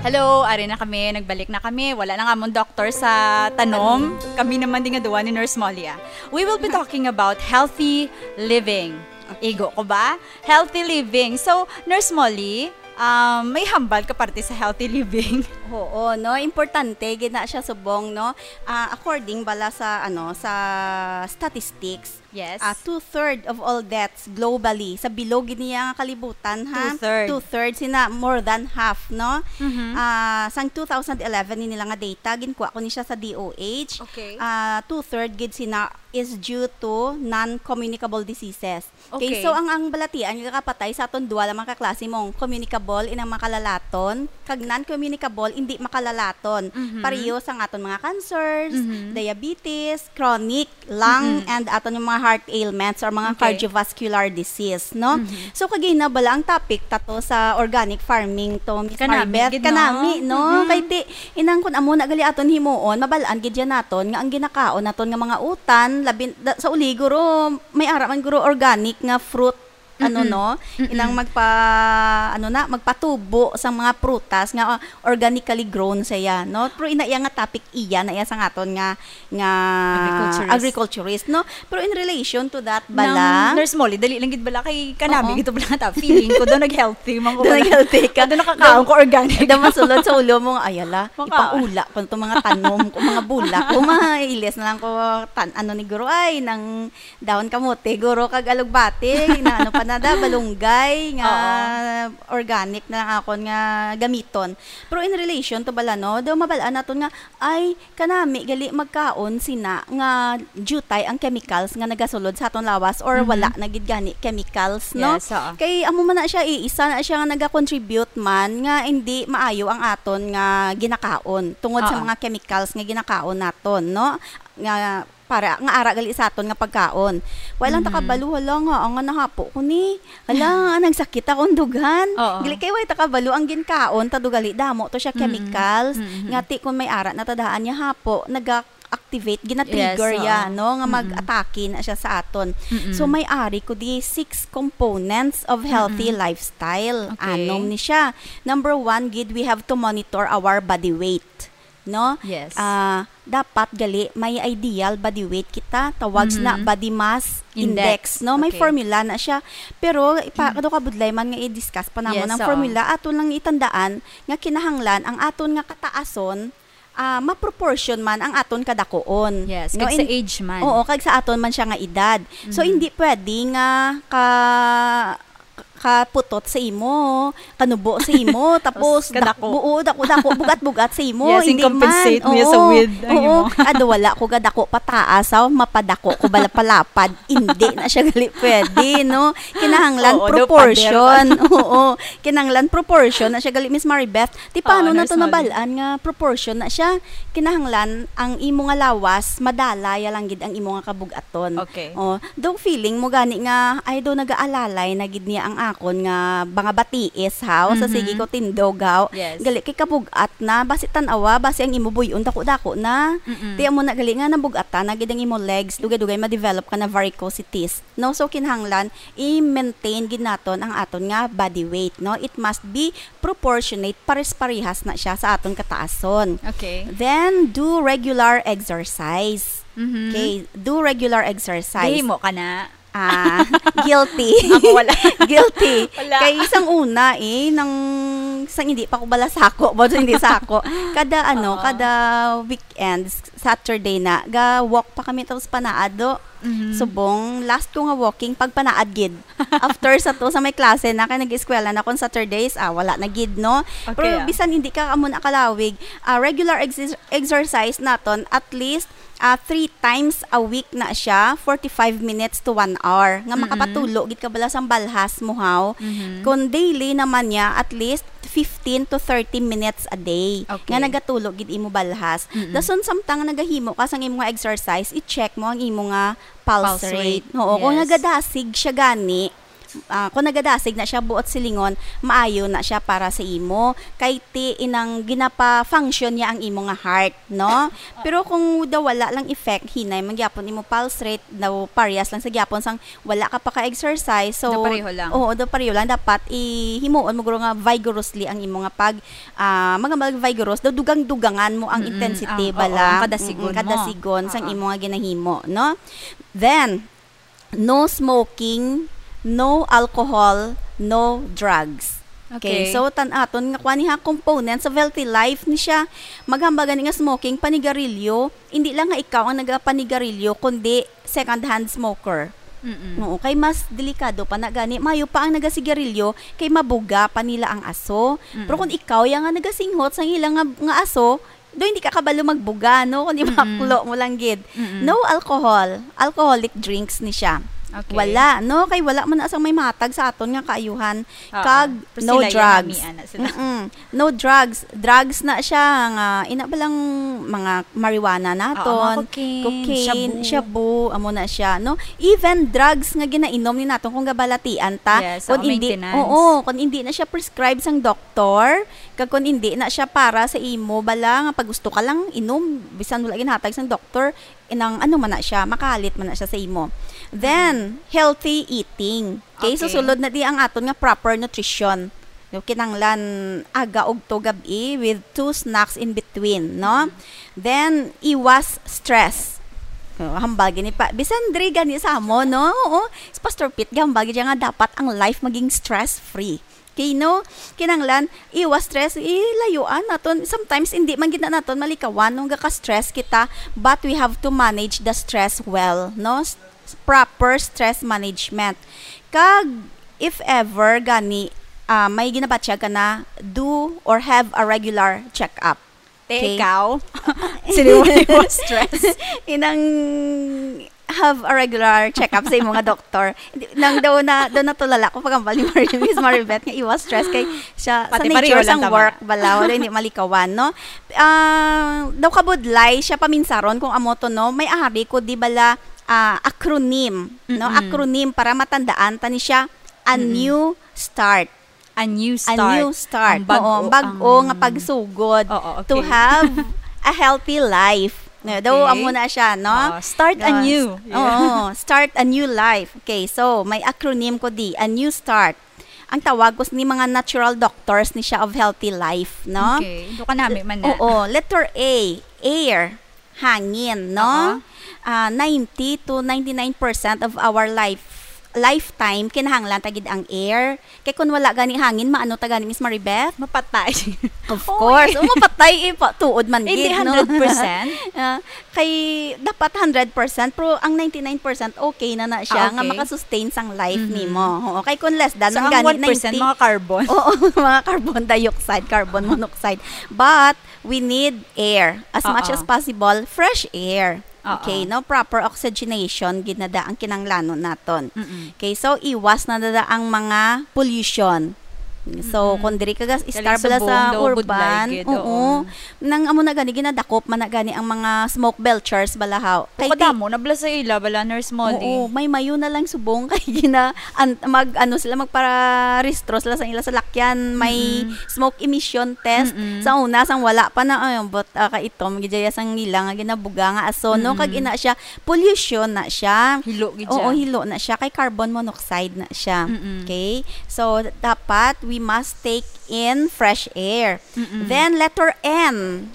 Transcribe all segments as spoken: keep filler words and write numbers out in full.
Hello, ari na kami, nagbalik na kami. Wala na nga amon doktor sa tanom. Kami naman din nga duwa ni Nurse Molly, ah. We will be talking about healthy living. Igo ko ba? Healthy living. So, Nurse Molly, um, may hambal ka parte sa healthy living? Oo, no? Importante, gid na siya subong, no? Ah, according bala sa, ano, sa statistics, Yes. Ah, two-third of all deaths globally, sa bilog gid niya nga kalibutan, ha? Two-third. Two-third, sina more than half, no? Mhm. Ah, sang two thousand eleven ni nila nga data, ginkuha ko ni siya sa D O H. Okay. Ah, two-third gid sina is due to non-communicable diseases. Okay, Okay. So ang, ang balatian nga kapatay sa aton duha lang mga kaklase mong communicable, inang makalalaton, kag non-communicable, hindi makalalaton. Mhm. Pareho sang aton mga cancers, Mhm. diabetes, chronic, lung, Mm-mm. and aton yung mga heart ailments or mga Okay. cardiovascular disease, no? Mhm. So, kagina bala ang topic tato sa organic farming to, Miss Kanami, Maribeth? Gid, no? Kanami, no? Mm-mm. Kay ti, inang kun amo na gali aton himuon, mabalaan gid yan naton nga ang ginakaon naton nga mga utan, labi, da, sa uli, guro, may ara man, guro, organic nga fruit, ano, Mm-mm. no? Mm-mm. Inang magpa, ano na, magpatubo sa mga prutas nga, ah, organically grown siya, no? Pero ina iya nga topic iya na iya sa aton nga, nga Agriculturist. agriculturist, no? Pero in relation to that, Nang bala, Nurse Molly, dali lang gid bala kay kanami Oo. gid to bala ta. Feeling ko daw nag-healthy man ko Daw bala. nag-healthy ka. Daw nakakaon Daw ko organic. daw masulod sa ulo mo nga, "Ay, ala, Makaon. ipaula ko to mga tanom ko, mga bulak ko, mailis na lang ko tan-, ano ni guro, ay, nang dahon kamote, guro, kag alugbati, na ano pa na da, balunggay, nga Oo. organic na lang akon nga gamiton." Pero in relation to bala, no, daw mabalaan naton nga, ay, kanami gali magkaon sina nga diutay ang chemicals nga nagasulod sa aton lawas or Mhm. wala na gid gani chemicals, no? Yes, oo. Kay amo man na siya, eh, isa na siya nga nagakontribute man nga hindi maayo ang aton nga ginakaon tungod sa Oo. mga chemicals nga ginakaon naton, no? Nga para nga ara gali sa aton nga pagkaon. Wala lang ta Mhm. kabalo, hala nga, ang nga nahapo ko ni. Hala, nagsakit akong dughan. Oo. Gali kay way ta kabalo ang ginkaon, ta do gali damo to siya Mm-mm. chemicals. Mm-mm. Nga ti kung may ara na ta daan niya hapo, naga-activate, gina-trigger Yes, oo. ya, no? Nga Mm-mm. mag-atake na siya sa aton. Mm-mm. So, may ari ko di six components of healthy Mm-mm. lifestyle. Okay. Anom ni siya. Number one, gid, we have to monitor our body weight. No? Yes. Ah, dapat gali may ideal body weight kita, tawag na Mhm. body mass Index. index, no? May Okay. formula na siya. Pero ipa-, Mm. kado ka budlay man nga i-discuss pa namon Yes, ang oo. formula, aton lang itandaan nga kinahanglan ang aton nga kataason, ah, ma-proportion man ang aton kadakuon. Yes, No? kag sa In-, age man. Oo, kag sa aton man siya nga edad. So, Mhm. hindi pwede nga ka-, kaputot sa imo, kanubo sa imo, tapos Tapos kadako. dak-, oo, dako-dako, bugat-bugat sa imo. Yes, Hindi i-compensate man. mo yan sa Oo, width ang oo. imo. Ado, wala ko gadako pataas, aw, mapadako ko bala palapad. Hindi na siya gali pwede, no? Kinahanglan Oo, daw proportion. pader. Oo, kinahanglan proportion na siya gali, Miss Maribeth. Ti, paano Oo, na to Nurse Molly. nabalaan nga proportion na siya? Kinahanglan ang imo nga lawas, madala ya lang gid ang imo nga kabug-aton. Okay. Oh, daw feeling mo gani nga, ay, daw nagaalalay na gid niya ang akon nga mga batiis, haw, sa Mhm. sige ko tindog, haw. Yes. Gali kay kabug-at na, basi tan-awa, basi ang imo buy-on dako-dako na. Mm-mm. Ti amo na gali nga nabug-atan na gid ang imo legs, dugay-dugay ma-develop ka na varicosities. No, so kinahanglan i-maintain gid naton ang aton nga body weight, no? It must be proportionate, pares-parehas na siya sa aton kataason. Okay. Then, do regular exercise. Mhm. Okay, do regular exercise. Gihimo ka na? Ah, guilty. Ako wala. Guilty. Wala. Kay sang una, eh, nang, sang hindi pa ko bala sako, but hindi sako. Kada, ano, Oo. kada weekends, Saturday na, ga-walk pa kami tapos panaad do. Mhm. Subong, last ko nga walking, pagpanaad gid. After sa to, sa may klase na, kay nag-eskwela na kon Saturdays, ah, wala na gid, no? Okay, Pero ah. bisan hindi ka amo na kalawig, ah, regular exer-, exercise naton, at least, ah, three times a week na siya, forty-five minutes to one hour, nga Mm-mm. makapatulo gid ka bala sang balhas mo, haw. Mhm. Kung daily naman niya, at least fifteen to thirty minutes a day Okay. nga nagatulo gid imo balhas. Mm-mm. Dason, samtang nagahimo ka sang imo nga exercise, i-check mo ang imo nga pulse Pulse rate. rate. Oo, kung Yes. nagadasig siya gani, Ah, kung nagadasig na siya buot silingon, maayo na siya para sa imo. Kay ti inang ginapa-function niya ang imo nga heart, no? Pero kung daw wala lang effect, hinay man gyapon imo pulse rate, daw parehas lang sa gyapon sang wala ka pa ka-exercise. So, Daw pareho lang. Oo, daw pareho lang. Dapat ihimuon mo guro nga vigorously ang imo nga pag, ah, mga mag-vigorous, daw dugang-dugangan mo ang Mm-mm. intensity, Ang, oo, bala. ang kadasigon Mm-mm, mo. kadasigon sang Oo. imo nga ginahimo, no? Then, no smoking, no alcohol, no drugs. Okay, Okay. so tan-, aton nga kuan ni ha, components of healthy life ni siya. Maghambal gani nga smoking, panigarilyo, hindi lang nga ikaw ang nagapanigarilyo, kundi second-hand smoker. Mm-mm. Oo, kay mas delikado pa na gani. Mayo pa ang nagasigarilyo, kay mabuga pa nila ang aso. Mm-mm. Pero kung ikaw ya nga nagasinghot sang ilang nga, nga aso, do hindi ka kabalo magbuga, no? Kundi Mm-mm. maklo mo lang gid. Mm-mm. No alcohol. Alcoholic drinks ni siya. Okay. Wala, no? Kay wala man na sang may mahatag sa aton nga kaayuhan. Oo. Kag Pero no sila, drugs. Yan, nami, ana sila. Mm-mm. No drugs. Drugs na siya nga, ina ba lang mga marijuana Oo, mga naton, cocaine, cocaine, shabu. shabu, amo na siya, no? Even drugs nga ginainom ni naton kung gabalatian ta, Yes, kung oo, hindi, maintenance. oo, kung hindi na siya prescribed sang doktor, kag kung hindi na siya para sa imo, bala nga pag gusto ka lang inom, bisan wala ginhatag sang doktor, inang ano man na siya, makahalit man na siya sa imo. Then, healthy eating. Okay, Okay. susulod na di ang aton nga proper nutrition. Yung kinahanglan aga ugto gab-i with two snacks in between, no? Then, iwas stress. Oh, hambal gini pa. Bisan diri gani sa amo, no? Oo. Si Pastor Pete, hambal gid siya nga dapat ang life maging stress-free. Okay, no? Kinahanglan, iwas stress, ilayuan naton. Sometimes, hindi man gid na naton malikawan nung gaka-stress kita, but we have to manage the stress well, no? S-, proper stress management. Kag, if ever, gani, ah, may ginabatyag ka na, do or have a regular check-up. Te, Okay. ikaw? Sino mo yung stress? Inang have a regular check-up sa imo nga doktor. Hindi, nang daw na, daw natulala ko pag ang bali Mar-, Miss Maribeth nga iwas stress kay siya sa Pati nature pareho lang sang tama work na. bala, wala hindi malikawan, no? Ah, daw kabudlay siya paminsaron kung amo to, no? May ahari ko, di bala, ah, acronym, no? Mm-mm. Acronym para matandaan ta ni siya, a Mm-mm. new start. A new A start. new start. Ang bag-o, Oo, ang bag-o ang nga pagsugod Oo, to okay. have a healthy life. No, daw, Okay. amo na siya, no? Ah, start Yes. anew. Yeah. Oo, start a new life. Okay, so, may acronym ko di, a new start. Ang tawag ko ni mga natural doctors ni siya of healthy life, no? Okay. Do ka nami man na. Oo, letter A, air, hangin, no? Oo. Ah, ninety to ninety-nine percent of our life, lifetime, kinahanglan ta gid ang air. Kay kung wala gani hangin, maano ta gani, Miss Maribeth? Mapatay. Of Oy. course. Oh, mapatay, eh, pa, tuod man Hindi gid, no? hundred percent. Ah, kay dapat hundred percent, pero ang ninety-nine percent okay na na siya Ah, nga okay. makasustain sang life Mhm. nimo. Oo, kay kung less than So, man ang gani, one percent, ninety mga carbon. Oo, mga carbon dioxide, carbon monoxide. But we need air as much Oo. as possible, fresh air. Oo. Okay, no? Proper oxygenation gid na da ang kinanglanon naton. Mm-mm. Okay, so iwas na da ang mga pollution. So, Mm-mm. kung diri ka gas-, Galing istar bala subong sa daw, budlay urban, gid, oo. oo. Nang amo na gani, ginadakop man na gani ang mga smoke belchers balahaw. Kay ti- Kadamo na bala sa ila, bala, Nurse Molly. Oo, may mayo na lang subong kay gina-, an-, mag-, ano sila, magparehistro sila sa ila salakyan, may Mm-mm. smoke emission test. Mm-mm. Sa una, sang wala pa na, ay, but, ah, kaitom, gid ya sang ila nga ginabuga nga aso, no? Kag Mm-mm. ina siya, pollution na siya. Hilo gid Oo, siya. hilo na siya. Kay carbon monoxide na siya. Mm-mm. Okay? So, dapat we must take in fresh air. Mm-mm. Then, letter N,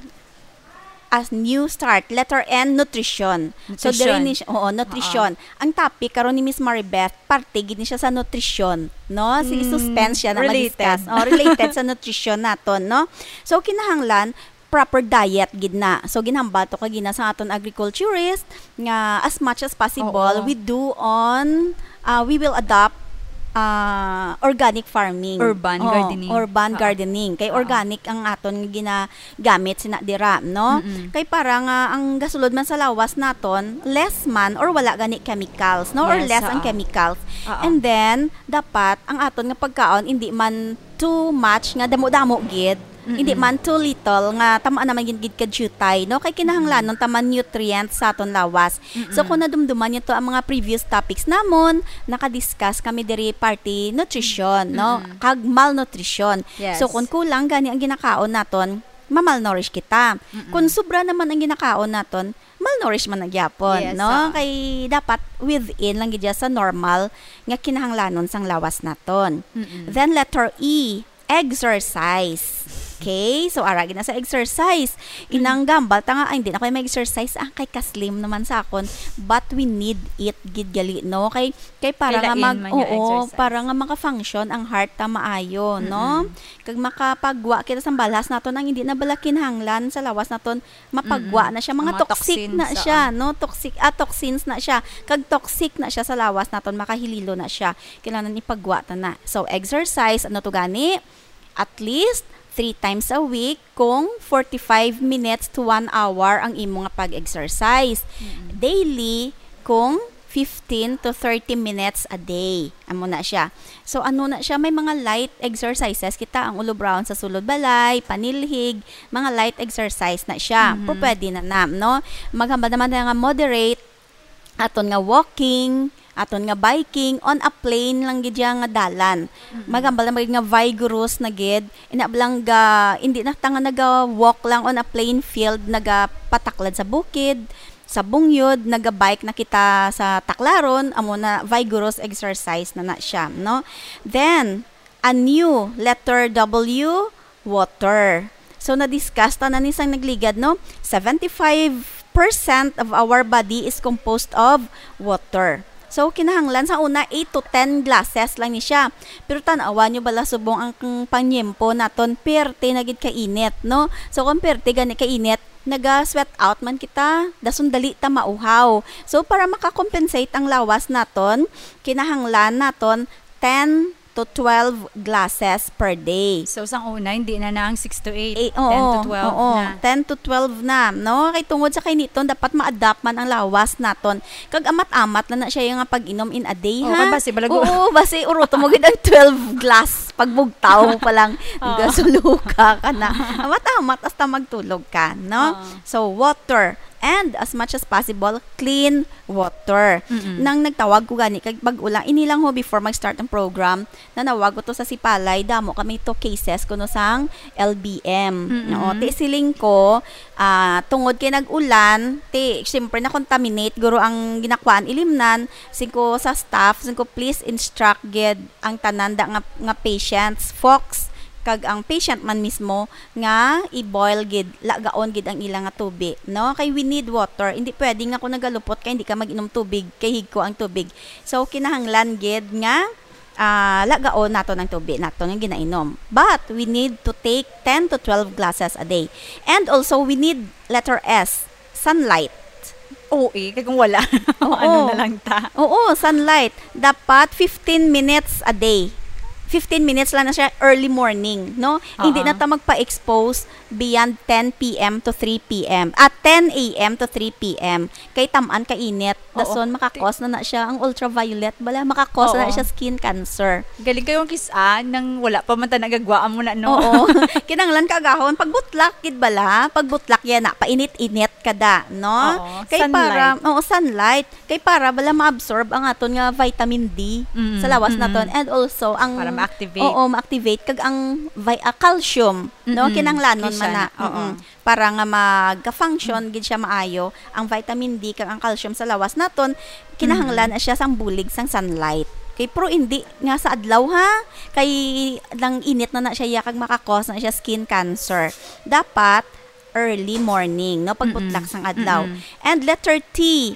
as new start. Letter N, nutrition. So, Nutrition. diri ni siya, oo, nutrition. Oo. Ang topic karon ni Miss Maribeth, parte gid ni siya sa nutrition, no? Sige, Mm, suspense siya na related. ma-discuss. Oh, related sa nutrition naton, no? So, kinahanglan, proper diet gid na. So, ginhambal to kagina sa aton agriculturist nga as much as possible, Oo. we do on, ah, we will adopt, ah, organic farming. Urban Oo, gardening. urban Oo. gardening. Kay Oo. organic ang aton nga ginagamit sina dira, no? Mm-mm. Kay para nga ang gasulod man sa lawas naton, less man or wala gani chemicals, no? Or Yes, less ang oo. chemicals. Oo. And then, dapat ang aton nga pagkaon hindi man too much nga damo-damo gid. Mm-mm. Hindi man too little nga tama naman gid, gid ka jutay, no? Kay kinahanglanon ta man nutrient sa aton lawas. So, Mm-mm. kung nadumduman niyo to ang mga previous topics namon, nakadiscuss kami diri parte nutrition, no? Mm-mm. Kag malnutrition. Yes. So, kung kulang gani ang ginakaon naton, mamalnourish kita. Mm-mm. Kung sobra naman ang ginakaon naton, malnourish man na gyapon, Yes, no? ah. Kay dapat within lang gid siya sa normal nga kinahanglanon sang lawas naton. Mm-mm. Then letter E, exercise. Okay? So, ara gid na sa exercise. Mm. Inang gambal ta nga, "Ay, hindi na ko mag-exercise. Ah, kay ka-slim naman sa akon." But we need it gid gali, no? Kay, kay para Kay nga lain mag-, man yung oo, exercise. para nga maka-function ang heart ta maayo, no? Mm-mm. Kag makapagwa kita sang balhas naton ang hindi na bala kinahanglan sa lawas naton, mapagwa Mm-mm. na siya. Mga Mga toxic toxins, na siya, ah. no? Toxic, ah, toxins na siya. Kag toxic na siya sa lawas naton, makahililo na siya. Kailangan ipagwa ta na. So, exercise, ano to gani? At least three times a week kung forty-five minutes to one hour ang imo nga pag-exercise. Mm-mm. Daily kung fifteen to thirty minutes a day. Amo na siya. So, ano na siya? May mga light exercises kita, ang ulubraon sa sulod balay, panilhig, mga light exercise na siya. Mhm. Pero pwede na na, no? Maghambal naman tayo nga moderate, aton nga walking, aton nga biking, on a plain lang gid siya nga dalan. Mm-mm. Maghambal naman nga vigorous na gid, ina lang ga, hindi na ta nga naga-walk lang on a plain field, nagapataklad sa bukid, sa bungyod, naga-bike na kita sa taklaron, amo na vigorous exercise na na siya, no? Then, a new letter W, water. So, na-discuss ta na ni sang nagligad, no? Seventy-five percent of our body is composed of water. So, kinahanglan sa una, eight to ten glasses lang ni siya. Pero tan-awan nyo bala subong ang panyempo naton, perte na gid kainit, no? So, kung perte gani kainit, naga-sweat out man kita, dason dali ta mauhaw. So, para makakompensate ang lawas naton, kinahanglan naton ten to twelve glasses per day. So, sang una, hindi na na ang six to eight, Eh, ten to oo, twelve oo, na. ten to twelve na, no? Kay tungod sa kainiton, dapat ma-adapt man ang lawas naton. Kag amat-amat na na siya yung nga pag-inom in a day, Oh, ha? Kay basi, balago. Oo, basi uruto mo gid ang twelve glass. Pagbugtaw mo pa lang, Oo. gasuluka ka na. Amat-amat hasta magtulog ka, no? Oo. So, water. And as much as possible, clean water. Mm-mm. Nang nagtawag ko gani kag bag-o lang, ini lang ho, before mag-start ang program, nanawag ko to sa Sipalay, damo kami to cases kuno sang L B M. Mm-mm. Oo, ti siling ko, ah, tungod kay nag-ulan, ti, siyempre, na-contaminate guro ang ginakuan ilimnan, singko sa staff, singko, "Please instruct gid ang tanan da nga, nga patients, folks, kag ang patient man mismo nga i-boil gid, lagaon gid ang ila nga tubi, no? Kay we need water. Hindi pwede nga kung nagalupot ka, hindi ka mag-inom tubig, kay higko ang tubig." So, kinahanglan gid nga, ah, lagaon naton ang tubi naton nga ginainom. But we need to take ten to twelve glasses a day. And also, we need, letter S, sunlight. Oo, eh, kay kung wala, Oo. ano na lang ta? Oo, sunlight. Dapat fifteen minutes a day. Fifteen minutes lang na siya early morning, no? Hindi Oo. na ta magpa-expose beyond ten P M to three P M. At ten A M to three P M. Kay tam-an ka init. Oo. Dason, Ti- makakos na na siya. Ang ultraviolet, bala, makakos na na Oo. siya skin cancer. Galing kayo ang kis-a, nang wala pa man ta nagagwaan mo na, no? Oo. Kinahanglan ka agahon. Pagbutlak, gid bala. Pagbutlak yan na. Painit-init ka da, no? Oo, Kay para, sunlight. oo, sunlight. Kay para bala ma-absorb ang aton nga vitamin D Mm, sa lawas mm. naton. And also, ang Para ma-activate. Oo, ma-activate. Kag ang vi-, ah, calcium, no? Mm-mm. Kinahanglanon Kay man siya na. na, oo. Mm-mm. Para nga magka-function Mm. gid siya maayo, ang vitamin D kag ang calcium sa lawas naton, kinahanglan Mm. na siya sang bulig sang sunlight. Kay pero hindi nga sa adlaw, ha? Kay nang init na na siya, ya, kag makakos na siya skin cancer. Dapat early morning, no? Pagbutlak Mm-mm. sang adlaw. Mm-mm. And letter T,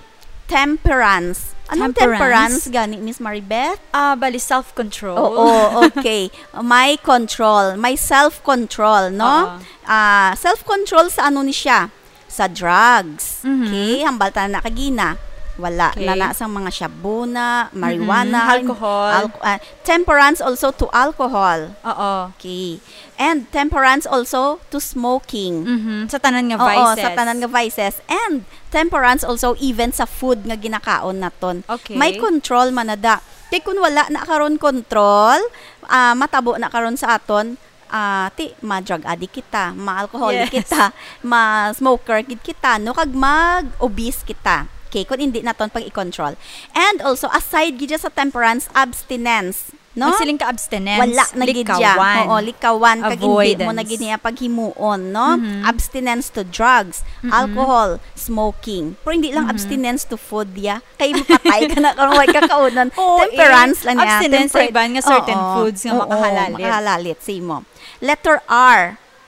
temperance. Anong Temperance? temperance gani, Miss Maribeth? Ah, bali, self-control. Oo, okay. May control. May self-control, no? Oo. Ah, self-control sa ano ni siya? Sa drugs. Mhm. Okay, hambal ta na kagina. Wala Okay. na na sang mga shabu na, marijuana, Mhm. Alcohol. alco-, ah, temperance also to alcohol. Oo. Okay. And temperance also to smoking. Mhm. Sa tanan nga Oo, vices. sa tanan nga vices. And temperance also even sa food nga ginakaon naton. Okay. May control man na da. Kay kun wala na karon control, ah, matabo na karon sa aton, Ah, ti, ma-drug addict kita, ma-alcoholic Yes. kita, ma-smoker gid kita, no? Kag mag-obese kita. Okay, kung hindi naton pag-i-control. And also, aside gid sa temperance, abstinence, no? Magsiling ka abstinence, Wala na gid siya. likawan. Oo, likawan, kag hindi mo na Avoidance. gid niya paghimuon, no? Mhm. Abstinence to drugs, Mm-mm. alcohol, smoking. Pero hindi lang Mhm. abstinence to food, ya. Kay mapatay ka na kung way ka kaunon. Oo, Temperance eh. lang niya. Abstinence sa Temper- iban nga certain Oo. foods nga Oo, makahalalit. makahalalit sa imo. Letter R.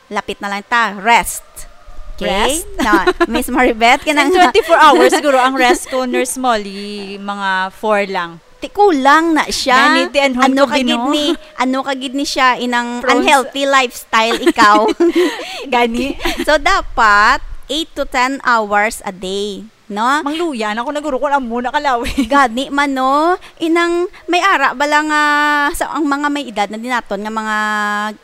Lapit na lang ta. Rest. Okay? Rest? Na, Miss Maribeth, Sa kanang twenty-four hours, siguro, ang rest ko, Nurse Molly, mga four lang. Ti, kulang na siya. Gani, ti, anhon Ano ko ka gid gino. ni, ano ka gid ni siya, inang Pros- unhealthy lifestyle ikaw. Gani. So, dapat eight to ten hours a day, no? Mangluya na ako, naguro ko lang muna kalawi. Gani man, no? Inang may ara bala nga sa ang mga may edad na din naton nga mga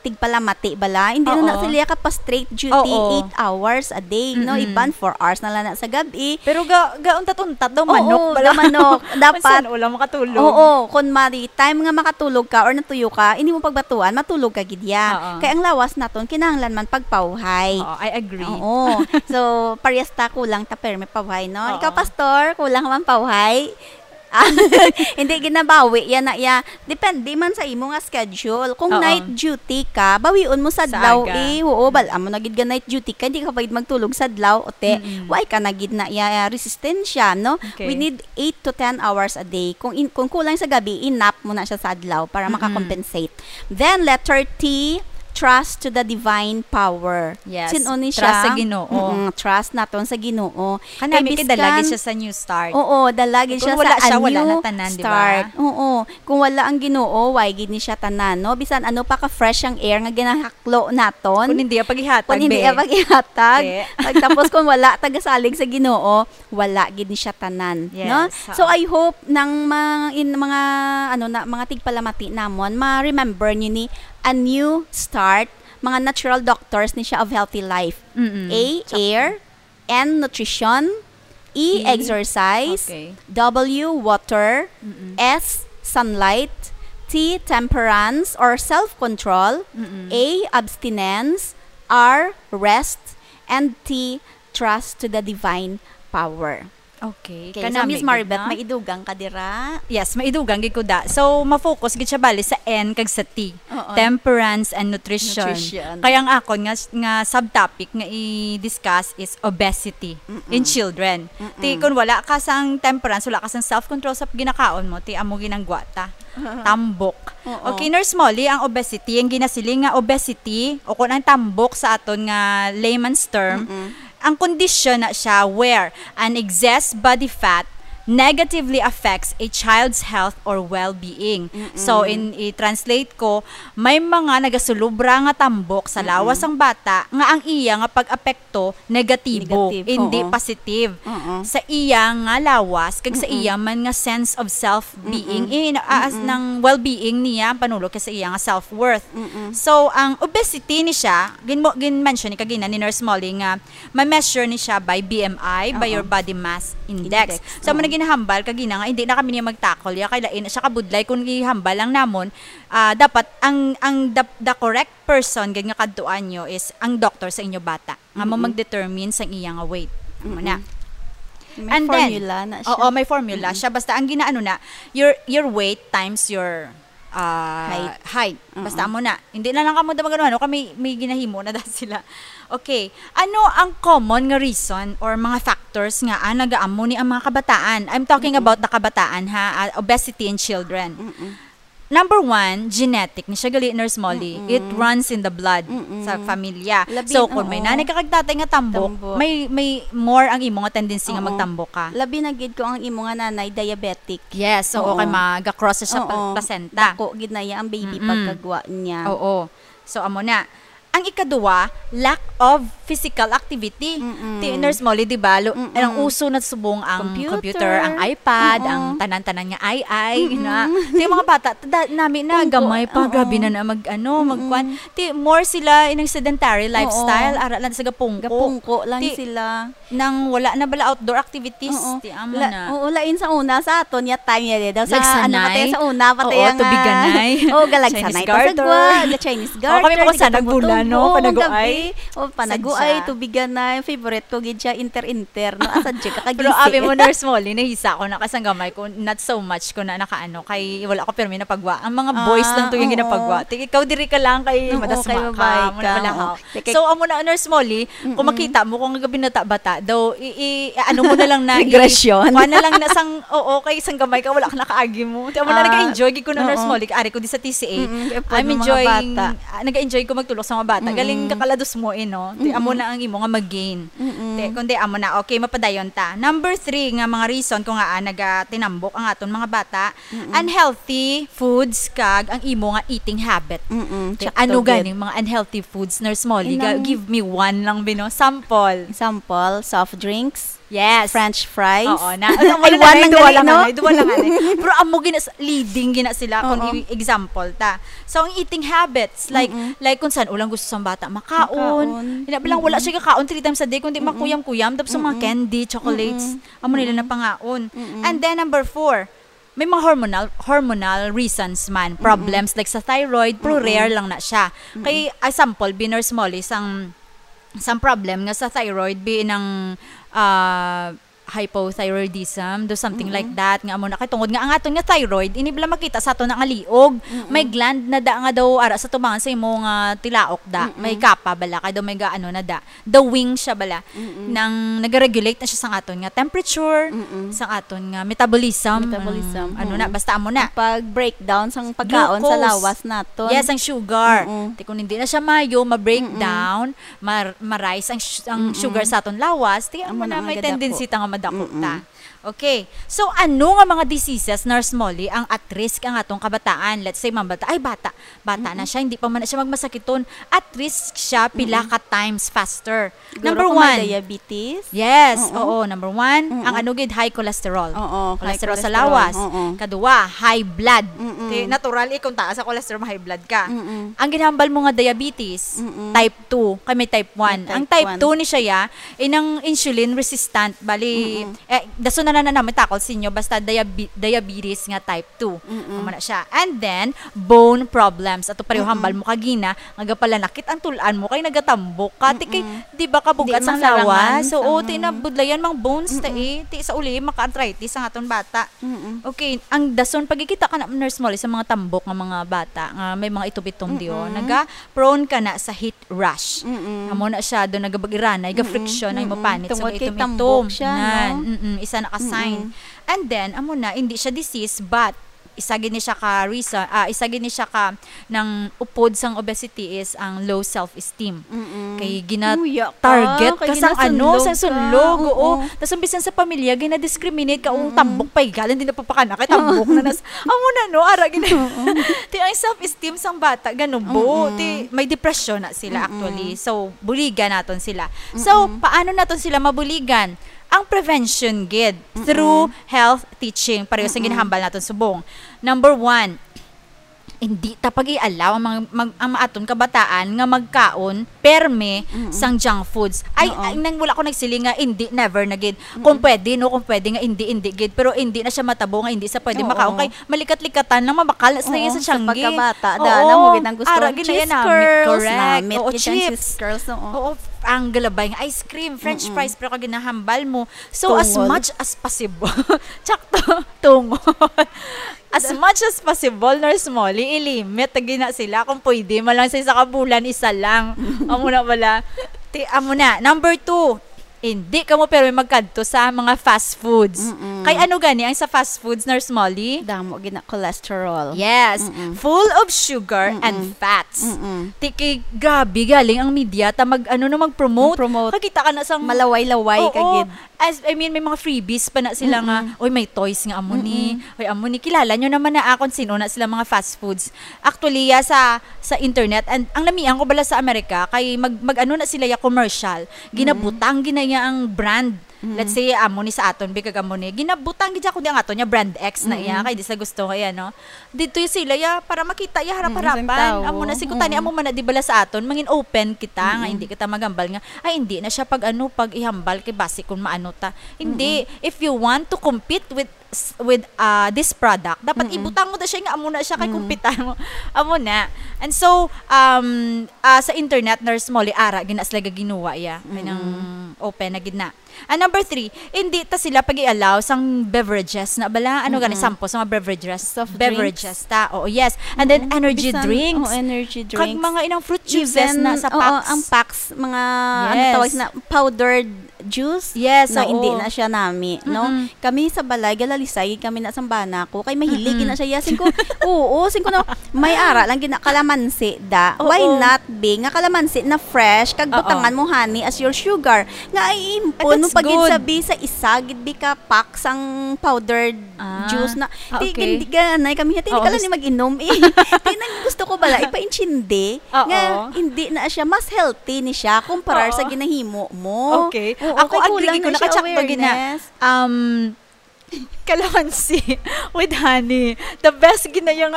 tigpalamati bala, hindi na na Oo. sila ka pa straight duty Oo. eight hours a day, no? Mm-mm. Iban four hours na lang na sa gabi. Pero ga, gauntat-untat daw Oo, manok bala. ga manok. Dapat Minsan ulam makatulog. Oo, kung mari time nga makatulog ka or natuyo ka, hindi mo pagbatuan, matulog ka gid ya. Oo. Kay ang lawas naton kinahanglan man pagpawhay. Oo, I agree. Oo. So, parehas ta kulang ta permi pawhay, no? Oo. Ikaw, pastor, kulang man pawhay? Ah, hindi ginabawi yan na ya. Depende man sa imo nga schedule. Kung Oo. night duty ka, bawion mo sa Sa adlaw aga. eh. Oo, bal amo na gid ga night duty ka, hindi ka pwede magtulog sa adlaw, ote. Mm-mm. Why ka na gid na ya resistensya, no? Okay. We need eight to ten hours a day. Kung in, kung kulang sa gabi, inap mo na siya sa adlaw para Mm-mm. makakompensate. Then, letter T, trust to the divine power. Yes. Sin-o ni Trust siya? sa Ginoo. Mm-mm, trust naton sa Ginoo. Kanami Kay kay dala gid biskan siya sa new start. Oo, dala gid Kung siya wala sa siya, a wala new na tanan, di ba? start. Oo. Kung wala ang Ginoo, why gid ni siya tanan, no? Bisan ano pa ka fresh ang air nga ginahaklo naton. Kung hindi ang paghihatag, Kung hindi be. ang paghihatag. Te. Pagtapos kung wala tagasalig sa Ginoo, wala gid ni siya tanan, Yes, no? ha. So, I hope nang ma-, in mga, ano na, mga tigpalamati namon, ma-remember niyo ni a new start, mga natural doctors ni siya of healthy life. Mm-mm. A, Sakto. air, N, nutrition, E, E, exercise, okay. W, water, Mm-mm. S, sunlight, T, temperance or self-control, Mm-mm. A, abstinence, R, rest, and T, trust to the divine power. Okay. Okay, Kana so, Miss may Maribeth, gid na? may idugang ka dira? Yes, may idugang gid ko da. So, ma-focus gid siya bali sa N kag sa T. Oo. Temperance and nutrition. Nutrition. Kaya ang akon nga, nga subtopic nga i-discuss is obesity Mm-mm. in children. Mm-mm. Ti, kung wala ka sang temperance, wala ka sang self-control sa ginakaon mo, ti amo ginanggwa ta. Tambok. Oo. Okay, Nurse Molly, ang obesity, ang ginasiling nga obesity, o kung ang tambok sa aton nga layman's term, Mm-mm. ang kondisyon na siya where an excess body fat negatively affects a child's health or well-being. Mm-mm. So, in i-translate ko, may mga nagasulubra nga tambok sa Mm-mm. lawas sang bata nga ang iya nga pag-apekto negatibo, Negative, hindi oo. positive Oo. sa iya nga lawas kag sa Mm-mm. iya man nga sense of self-being, Mm-mm. in, as Mm-mm. ng well-being niya, ang panulog kay sa iya nga self-worth. Mm-mm. So, ang obesity ni siya, gin-, gin-mention ni kagina ni Nurse Molly nga ma-measure ni siya by B M I, by Oo. your body mass index. Index, So, amo oo. na ginahambal kagina nga hindi na kami niya mag-tackle ya, kay lain na siya kabudlay kung ihambal lang namon, ah, dapat ang, ang the, the correct person gid nga kadtuan nyo is ang doktor sa inyo bata nga mo Mm-mm. mag-determine sa iya nga weight. Amo na. Mm-mm. May And then, formula na siya. oo, may formula Mm-mm. siya. Basta ang ginaano na, your, your weight times your, ah, Height. height. Basta Mm-mm. amo na. Hindi na lang kamo da magano-ano, kami may ginahimo na da sila. Okay. Ano ang common nga reason or mga factors nga, ah, nagaamo ni ang mga kabataan? I'm talking Mm-mm. about the kabataan, ha, ah, obesity in children. Mm-mm. Number one, genetic. Ni siya gali, Nurse Molly. Mm-mm. It runs in the blood Mm-mm. sa familya. Labi So, na, kung may oo. nanay ka kag tatay nga tambok, Tambok. may, may more ang imo nga tendency nga Oo. magtambok ka. Labi na gid ko ang imo nga nanay diabetic. Yes, so, Oo. okay, maga-cross siya sa Oo. placenta. Dako gid na iya ang baby Mm-mm. pagkagwa niya. Oo. So, amo na. Ang ikaduwa, lack of physical activity. Mm-mm. Ti, Nurse Molly, di ba? Lo-, Mm-mm. ang uso na subong ang Computer. computer, ang iPad, Mm-mm. ang tanan-tanan nga ay-ay, Mm-mm. na. Ti, mga bata, da-, nami na, Pungko. gamay pa, Oo. grabe na na mag, ano, Mm-mm. magkuan. Ti, more sila inang sedentary Oo. lifestyle, ara lang sa gapungko. Gapungko lang Ti, sila. nang wala na bala outdoor activities, Oo. ti, amo La-, na. oo, lain sa una, sa aton nga time, ya, daw sa, Lagsanay. ano, patay sa una, patay Oo, ang, ah, tubiganay. oo, galagsanay Chinese pa sa garter. gwa, the Chinese Oo, kami garter, mga sa nagbulan, no? Oo, Panaguay. gabi. O, panaguay, Sadya. tubiganay, favorite ko gid siya, inter-inter, no? Asa dyan ka Pero kagising? abi mo, Nurse Molly, nahisa ko na kasang gamay ko, not so much ko na nakaano, kay wala ko pirmi na pagwa. Ang mga boys Ah, lang to yung oo. ginapagwa. Ti, ikaw diri ka lang kay Oo, madasma kay ka, babae mo na ka, pala, oo. ha? Kay, kay So, amo na, Nurse Molly, kung Mm-mm. makita mo, kung gabinata-bata, daw, i, i, ano mo na lang na, i, Regression. kuha na lang na sang, oo, kay isang gamay ka, wala ka nakaagi mo. Ti, amo na, Ah, nag-enjoy gid ko na, Nurse oo. Molly, ari ko di sa T C A. Mm-mm, kay I'm pwede mga enjoying, bata. ah, nag-enjoy ko magtulog sa mga bata. Galing Mm-mm. kakalados mo, eh, no? Ti, amo Mm-mm. na ang imo nga mag-gain. Mm-mm. Ti, kundi amo na, okay, mapadayon ta. Number three nga mga reason kung nga, ah, nagatinambok ang aton mga bata, Mm-mm. unhealthy foods kag ang imo nga eating habit. Mm-mm, Ti, sakto ano gid. ganing mga unhealthy foods, Nurse Molly? Ga-, Inang give me one lang, bino. Sample. Example, soft drinks, Yes. French fries. Oo, na. Ay, Ano, wala one na, lang duwa gali, lang, no? ano, duwa lang, ano. Pero amo gina-, leading gina sila kung Oo. i-, example ta. So, ang eating habits, like, Mm-mm. like kung saan ulang gusto sa bata makaon. Makaon. Ina, bilang wala Mm-mm. siya kakaon three times a day, kundi Mm-mm. makuyam-kuyam, tapos sa mga Mm-mm. candy, chocolates, Mm-mm. amo nila Mm-mm. napangaon. Mm-mm. And then, number four, may mga hormonal, hormonal reasons man, Mm-mm. problems, like sa thyroid, pero Mm-mm. rare lang na siya. Mm-mm. Kay, example, bi, Nurse Molly, sang, sang problem nga sa thyroid, bi, nang, ah, hypothyroidism, do something Mm-mm. like that, nga amo na kay tungod nga ang aton nga thyroid, ini bala makita sa aton nga liog, Mm-mm. may gland na da nga daw ara sa tubangan sa imo nga tilaok da, Mm-mm. may kapa bala, kay daw may ga-, ano na da, the wing siya bala, Mm-mm. nang nag-regulate na siya sa aton nga temperature, Mm-mm. sa aton nga metabolism, Metabolism, ang, ano na, mm. basta amo na. Ang pag-breakdown sang pagkaon sa Glucose. lawas naton. Yes, ang sugar. Mm-mm. Ti kung hindi na siya mayo, ma-breakdown, Mm-mm. mar-, ma-rise ang sh-, ang Mm-mm. sugar sa aton lawas, ti amo Amo na na nga may gadako. tendency ta nga madako Mm-mm. ta. Okay. So, ano nga mga diseases, Nurse Molly, ang at risk ang atong kabataan? Let's say, mga bata, ay, bata, bata na Mm-mm. siya, hindi pa man na siya magmasakiton. At risk siya pila Mm-mm. ka times faster. Siguro Number kung may one. diabetes. Yes, Oo. oo, number one, Mm-mm. ang ano gid, high cholesterol. Oo, high Cholesterol sa cholesterol. lawas. Oo. Kadua, high blood. Mm-mm. Ti, natural, eh, kung taas sa cholesterol, ma-high blood ka. Mm-mm. Ang ginhambal mo nga diabetes, Mm-mm. type two, kay may type one. May Ang type type one. two ni siya, ya, inang insulin resistant. Bali, Mm-mm. eh, dason na na naman takol sa inyo, basta diabe-, diabetes nga type two. Mm-mm. Amo na siya. And then, bone problems. Ato pareho Mm-mm. hambal mo kagina, nga gapalanakit ang tulan mo, kay nagatambok ka. Ti kay, Mm-mm. di ba, kabugat Di sang masarangan lawas? So, sang o, ti nabudlayan mang bones, ta, Mm-mm. eh. Ti sa uli, maka-arthritis ang aton bata. Mm-mm. Okay, ang dason, pagkikita ka na, Nurse Molly, sa mga tambok nga mga bata, nga may mga itom-itom di, oh, Mm-mm. naga-prone ka na sa heat rash. Mm-mm. Amo na siya, do nagabag-iranay, Mm-mm. ga-friction ang imo Mm-mm. panit sa Tungod kay gaitom-itom. tambok siya, Nan, no? mm-mm, isa na ka sign. Mm-mm. And then, amo na, hindi siya disease, but isa gid ni siya ka reason, ah, isa gid ni siya ka nang upod sang obesity is ang low self-esteem. Mm-mm. Kay gina-target Uya ka, ka, kay sang ano, ginasunlog sang ka. sunlog, oo. Oo. Tas ang bisan sa pamilya, gina-discriminate ka, "Oh, Mm-mm. tambok pa, galing din napapakana kay tambok na nas-," amo na, no? Ara, gina-, Oo. Ti, ang self-esteem sang bata, ganubo. Mm-mm. Ti, may depression na sila, Mm-mm. actually. So, buligan naton sila. So, Mm-mm. paano naton sila mabuligan? Ang prevention gid, Mm-mm. through health teaching, pareho sa Mm-mm. ginahambal naton subong. Number one, hindi ta pag-i-allow ang mga, mag-, ang aton kabataan nga magkaon perme Mm-mm. sang junk foods. Ay, Oo. ay, nang wala ko nagsiling nga hindi, never na gid. Kung Mm-mm. pwede, no, kung pwede nga hindi, hindi gid. Pero hindi na siya matabo nga hindi sa pwede Oo. makaon. Kay malikat-likatan lang, mabakal na sa Oo, iya sa sa tiyanggi. pagkabata, Oo. da, alam mo, gid ang gusto, Ara, gid na cheese yan, ah, mi-, curls, correct. na, meat Oo, gid ang chips. cheese curls, oo. Oo, ang galabay nga ice cream, French Mm-mm. fries, pero kag ginahambal mo. So, as Tungod. much as possible, tsakto, tungod. As much as possible, Nurse Molly, i-limit na gina sila. Kung pwede, man lang sa isa ka bulan, isa lang. Amo na wala. Ti, amo na. Number two, hindi ka mo pero magkadto sa mga fast foods. Mm-mm. Kay ano gani ang sa fast foods, Nurse Molly? Damo gina cholesterol. Yes. Mm-mm. Full of sugar and Mm-mm. fats. Mm-mm. Tiki, grabe, galing ang media, ta mag, ano, no, mag-promote. Mag-promote. Kakita ka na sang Malaway-laway Oo. ka gid. As, I mean, may mga freebies pa na sila nga, Mm-mm. "Oy, may toys nga amo ni. Mm-mm. Oy, amo ni." Kilala nyo naman na akon sino na sila mga fast foods. Actually, ya, sa, sa internet, and ang lamian ko bala sa Amerika, kay mag, mag-ano na sila ya commercial. Mm-mm. Ginabutang gina ya ang brand. Mm-mm. Let's say, amo ni sa aton, bigag amo ni. Ginabutang gid siya, kundi ang aton niya brand X na iya, Mm-mm. kay di sa gusto kaya, no? Dito yung sila, ya, para makita, ya, Mm, harap-harapan. Isang tao. Amo na, siguro tani, Mm-mm. amo man na, di bala sa aton, mangin open kita, nga Mm-mm. hindi kita magambal nga, "Ay, hindi na siya pag ano, pag ihambal kay basi kung maano ta." Hindi. Mm-mm. If you want to compete with s-, with, ah, this product, dapat Mm-mm. ibutang mo na siya nga amo na siya kay Mm. kumpitan mo. Amo na. And so, um, ah, sa internet, Nurse Molly, ara, gina sila gaginuwa, ya. Kanang Mm-mm. open na gid na. And number three, hindi ta sila pag-i-allow sang beverages na bala. Ano gani, Mm-mm. sample sa mga beverages? Soft drinks. Beverages ta. Oo, yes. And then Mm-mm. energy Bisan, drinks. oh, energy Kag drinks. mga inang fruit juices Even, na sa oo, packs. ang packs, mga, ano Yes. tawag na, powdered juice Yes, na oo. hindi na siya nami, no? Mm-mm. Kami sa balay, galalisay kami na sang bana ko. Kay mahilig Mm-mm. na siya. Yes, singko, oo, singko na, may ara lang gina-, kalamansi, da. Oo. Why not, be? Nga kalamansi na fresh, kag Oo. butangan mo honey as your sugar. Nga ay impon And mo that's pag good. sabi sa isa, gid bi ka pack sang powdered Ah. juice na. Ah, Di, okay. gin-, di ka, nay, kami, "Ti, di Oo, ka lang gusto ni mag-inom, eh." Di, nang gusto ko bala, ipaintindi Oo. nga hindi na siya, mas healthy ni siya kumparar sa Oo. ginahimo mo. Okay. Oo, Ako, kay agree kulang ko, na siya naka-check ba gina-, awareness. um, kalamansi with honey. The best ginayang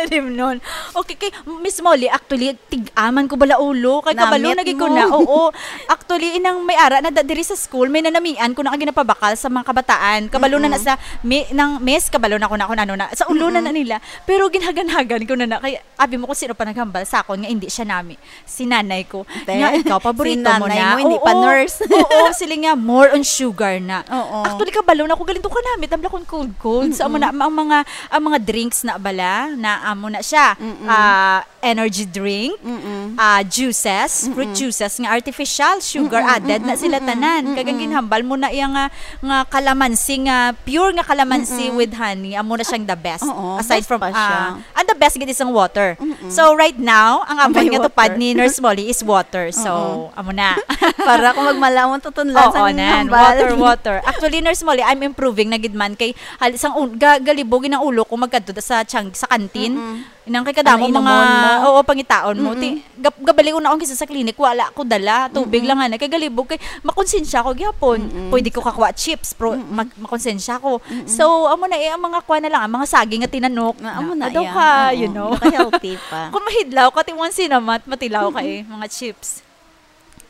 limnon. Okay, kay Miss Molly, actually, tig-aman ko bala ulo. Kay kabalo Namit na gid ko mo. na. Oo. Actually, inang may ara na da-, diri sa school, may nanamian ko na nga ginapabakal sa mga kabataan. Kabalo na na Mm-mm. sa, mi-, nang miss, kabalo na ko na kung ano na. Sa ulo na Mm-mm. na nila. Pero ginhagan-hagan ko na na. Kay, abi mo kung sino pa naghambal sa akon nga hindi siya nami. Si nanay ko. Te, Nga ikaw, si paborito mo nanay na. mo, hindi pa Oo. nurse. Oo, sila nga, more on sugar na. Oo. Actually, kabalo na ko, galing to kanami, tambla kong cold, cold. So, amo Mm-mm. na, ang mga, ang mga drinks na bala, na amo na siya. Mm-mm. Ah, energy drink, Mm-mm. ah, juices, fruit Mm-mm. juices nga artificial, sugar Mm-mm, added na mm-mm, sila mm-mm, tanan. Kag ang mm-mm. ginhambal mo na iya nga, nga kalamansi nga, pure nga kalamansi Mm-mm. with honey, amo na siyang the best. Oo, Aside best from, pa siya. ah, and the best gid is ang water. Mm-mm. So, right now, ang Ang amon may nga tupad water. ni Nurse Molly is water. So, Oo. amo na. Para kung magmalaw mo, tutunlan Oo, sang nan. hambal. Water, water. Actually, Nurse Molly, I'm improving na gid man kay hal-, sang un-, ga-, galibog ang ulo ko magkadto sa tiyang-, sa kantin. Mm-mm. Inang kay kadamo Ang mga, inomon mo. oo, pangitaon mo. Mm-mm. Ti, gab-, gabali ko na akong kisa sa clinic, wala ko dala. Tubig Mm-mm. lang, ana. Kay galibog, kay makonsensya ko gyapon. Mm-mm. Pwede ko kakuha chips, pero Mm-mm. mag-, makonsensya ko. Mm-mm. So, amo na eh, ang mga kuha na lang, ang mga saging nga tinanok. Ah, amo na, Adaw yeah. ka, Oo, you know. naka-healthy pa. Kung mahidlaw ka, ti one sinamat, matilaw ka Mm-mm. eh, mga chips.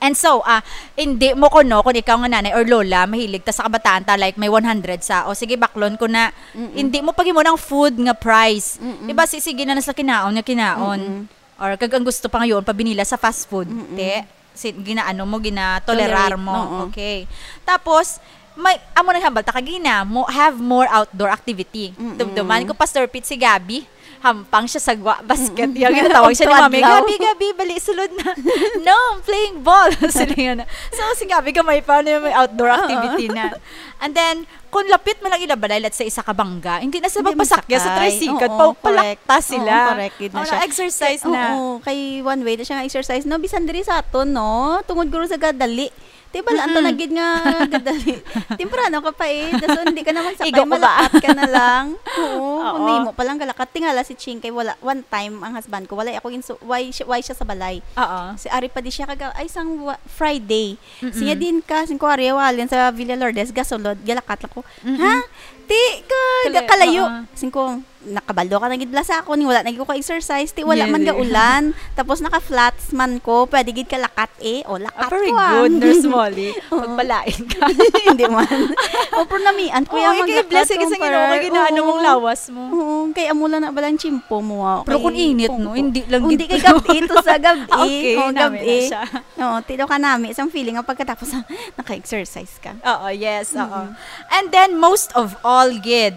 And so, ah, hindi mo kuno, kung ikaw nga nanay or lola, mahilig ta sa kabataan ta, like, may one hundred sa, o sige, baklon ko na, Mm-mm. hindi mo paghimo ng food nga price. Mm-mm. Iba, si-, sige na na sa kinaon nga kinaon. Mm-mm. Or kag ang gusto pa ngayon, pabinila sa fast food, Mm-mm. te, si-, ginaano mo, ginatolerar Tolerate, mo. oo. Okay. Tapos, may, amo na hambal ta kagina, mo, have more outdoor activity. Mm-mm. Tumduman ko, Pastor Pete, si Gabby, hampang siya sa gwa, basket. Mm-mm. Yung ginatawag siya ni Mami, Tuwadlaw. "Gabby, Gabby, bali, sulod na." "No, I'm playing ball." Sila nga na. So, si Gabby, gamay pa na yung may outdoor Oo. activity na. And then, kung lapit mo lang ila balay, let's say, isa ka bangga, hindi na sila Hindi magpasakya sa masakay. tricycle, Oo, pa-, correct. palakta sila. Oo, correct. Yun na Oo, siya. exercise Kay, na. oo, kay one way na siya nga exercise. No, bisan diri sa aton, no? Tungod guro sa gadali. Di ba, laan ta Mm-mm. na gid nga gadali. Temprano ka pa eh. Dason, hindi ka naman sakay, Igo ko ba? malakat ka na lang. Oo, Oo. kung nahimo pa lang galakat. Tingala si Ching kay wala, one time, ang husband ko, wala ako insu-, why siya, why siya sa balay. Oo. Si Ari pa di siya kaga, ay, sang wa-, Friday. Mm-mm. Siya din ka, singko, Ari, walin sa Villa Lourdes, gasulod, galakat lang ko. Mm-mm. Ha? Ti, ka, Kala-, kalayo. oo. Singko, nakabalo ka na gid bala sa ako, ning wala na gid ko ka-exercise, ti wala man Yes. gaulan. Tapos naka-flats man ko, pwede gid ka lakat eh. O, lakat Ah, very ko, ah. good, Nurse Molly. Oo. Pagpalain ka. Hindi man. O, pero namian ko Oo, yung ikaw, maglakad blessing ko, kasi Ginoo, para, kay ginaano mong oo. lawas mo. Oo, kay amo lang na balang tsimpo mo, ah. Pero Kay kung init, no, kung, hindi lang kung gid di kay to. gabi, to sa gabi. Ah, okay, Oo, nami na gabi. siya. Oo, tido ka nami. Isang feeling ang pagkatapos, ah, naka-exercise ka. Oo, yes, oo. Mm-mm. And then, most of all, gid,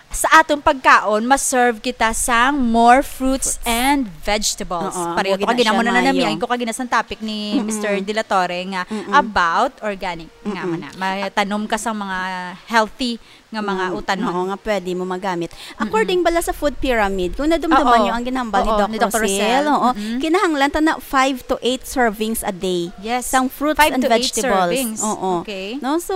sa atong pagkaon, ma-serve kita sang more fruits Fruits. and vegetables. Oo, Pareho amo to gid na kagina siya mo na nanamian maayo. ko kagina sang topic ni Mm-mm. Mister De La Torre nga Mm-mm. about organic. Nga Mm-mm. man na. Matanom ka sa mga healthy nga mga Mm, utanon. Oo, nga pwede mo magamit. Mm-mm. According bala sa food pyramid, kung nadumduman Oo. nyo ang ginhambal ni Oo, Doc ni Doc Rosel, Rosel. oo, Mm-mm. kinahanglan ta na five to eight servings a day Yes. sang fruits Five and to eight vegetables. servings. Oo. Okay. No? So,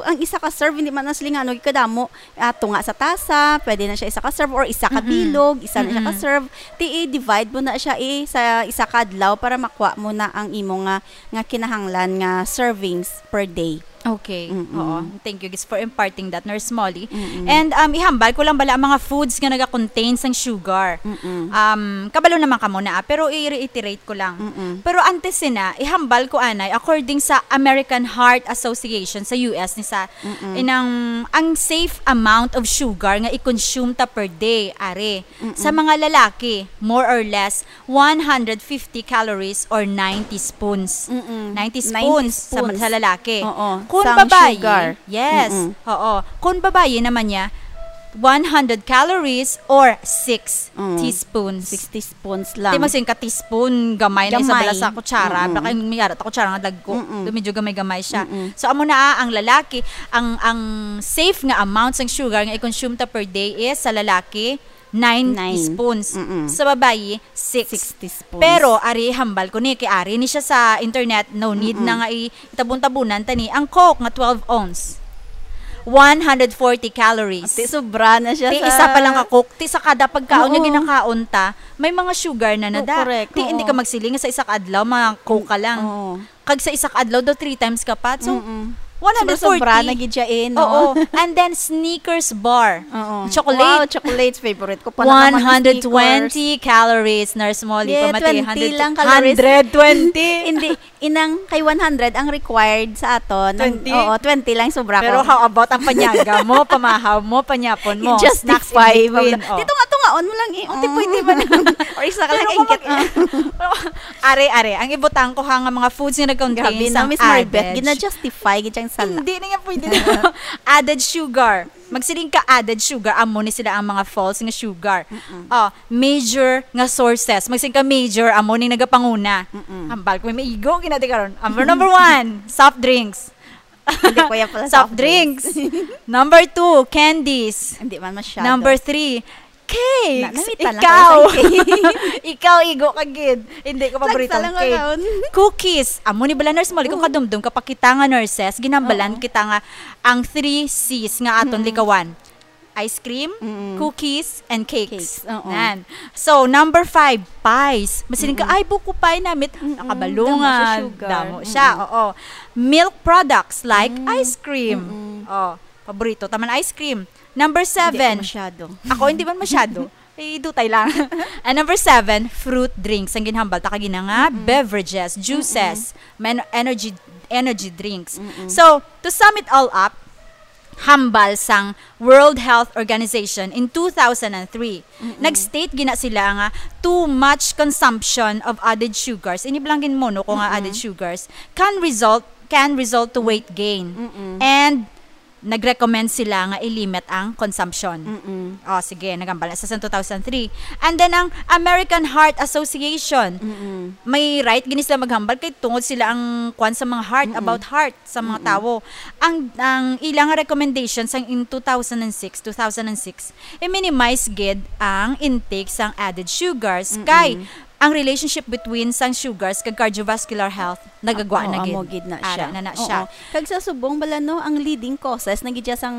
ang isa ka serve, hindi man na sila nga, ano, kadamo, ah, tunga sa tasa, pwede na siya isa ka serve, or isa ka Mm-mm. bilog, isa na siya ka Mm-mm. serve. Ti, i-divide mo na siya, eh, sa isa ka adlaw para makuha mo na ang imo nga, nga kinahanglan nga servings per day. Okay. Mm-mm. Oo. Thank you, Gis, for imparting that, Nurse Molly. Mm-mm. And, um, ihambal ko lang bala ang mga foods nga naga-contain sang sugar. Mm-mm. Um, kabalo naman ka muna, ah, pero i-reiterate ko lang. Mm-mm. Pero antes sina, ihambal ko anay, according sa American Heart Association sa U S, ni sa Mm-mm. inang, ang safe amount of sugar nga i-consume ta per day, are, Mm-mm. sa mga lalaki, more or less, one hundred fifty calories or nine teaspoons. Mm-mm. Nine teaspoons Nine sa, teaspoons. sa lalaki. Oo. Kung Sang babayi, sugar. yes. Mm-mm. Oo. Kung babayi naman niya, one hundred calories or six Mm. teaspoons. Six teaspoons lang. Di, magsin ka teaspoon, gamay na isa bala Gamay. sa kutsara. Mm-mm. Baka yung may ara ta kutsara nga dagko. Mm-mm. Medyo gamay-gamay siya. Mm-mm. So, amo na, ah, ang lalaki, ang, ang safe nga amount sang sugar nga i-consume ta per day is sa lalaki, nine Nine. teaspoons. Mm-mm. Sa babayi, six. Six teaspoons. Pero, ari, hambal ko ni, kay ari ni siya sa internet, no need Mm-mm. na nga i-, itabon-tabunan ta ni. Ang Coke nga twelve ounce, one hundred forty calories. Ati, sobra na siya Ti sa isa pa lang ka Coke, ti sa kada pagkaon nga Oo. ginakaon ta, may mga sugar na Oo, nada. correct. Ti, hindi Oo. ka magsiling nga sa isa ka adlaw, mga Coke ka lang. Oo. Kag sa isa ka adlaw daw, three times ka pa. So, Mm-mm. one hundred forty. Sobra-sobra na gid siya eh, no? Oo. And then, Snickers bar. Oo. Chocolate. Wow, chocolates. Favorite ko pa na naman ang Snickers. One hundred twenty calories, Nurse Molly, Yeah, pamati, twenty hundred, lang calories. hundred twenty. Hindi, inang kay one hundred ang required sa aton. Ang, Twenty? oo, twenty lang sobra Pero ko. how about ang panyaga mo, pamahaw mo, panyapon mo, I-justify snacks in mo between, lang. oh. Dito nga, tungaon mo lang eh. Unti Mm. pwede man. Or isa ka lang Pero kung ingkit. mag- Are, are, ang ibutang ko ha nga mga foods nga nag-contain Grabe na, sang Miss Marbeth, added gina-justify gid ang sala. Hindi na nga pwede na. Added sugar. Magsiling ka added sugar, amo ni sila ang mga false nga sugar. Mm-mm. Oh, major nga sources. Magsiling ka major, amo ni nagapanguna. Mm-mm. Hambal ko, may igo, ginati karon. Number, number one, soft drinks. Hindi ko yan pala Soft soft drinks. drinks. Number two, candies. Hindi man masyado. Number three, cakes. Na-, namita lang Ikaw. kayo sa cake. Ikaw, igo ka gid. Hindi ko paborito Lagsa ang lang cake. kaon. Cookies. Amo ni bala, Nurse Molly, kung Oo. kadumdum ka pa kita nga nurses, ginambalan Oo. kita nga ang three C's nga aton Mm. likawan. Ice cream, Mm. cookies, and cakes. Cakes, oo. Nan. So, number five, pies. Masiling ka, Mm-mm. "Ay, buko pie namit." Mm-mm. Nakabalungan. Damo siya sugar. Damo siya, Mm-mm. oo. Milk products like Mm. ice cream. Mm-mm. Oh, paborito ta man ice cream. Number Hindi seven. ko masyado. Ako, hindi man masyado. Eh, dutay lang. And number seven, fruit drinks. Ang ginhambal ta kagina nga, Mm-mm. beverages, Mm-mm. juices, men-, energy, energy drinks. Mm-mm. So, to sum it all up, hambal sang World Health Organization in two thousand and three. Mm-mm. Nag-state gina sila nga too much consumption of added sugars. Ini bala ang ginmono ko nga Mm-mm. added sugars can result, can result to weight gain. Mm-mm. And nag-recommend sila nga i-limit ang consumption. Mm-mm. Oh, sige, naghambal na sa two thousand three. And then ang American Heart Association, Mm-mm. may right gini sila maghambal kay tungod sila ang kwan sa mga heart, Mm-mm. about heart sa mga Mm-mm. tawo. Ang, ang ilang recommendation sang in two thousand and six, two thousand and six, i-minimize gid ang intake sang added sugars Mm-mm. kay ang relationship between sang sugars kag cardiovascular health nagagwa Oo, na gid. amo gid na Ara siya. na na Oo. siya. Kag sa subong bala, no, ang leading causes na gid siya sang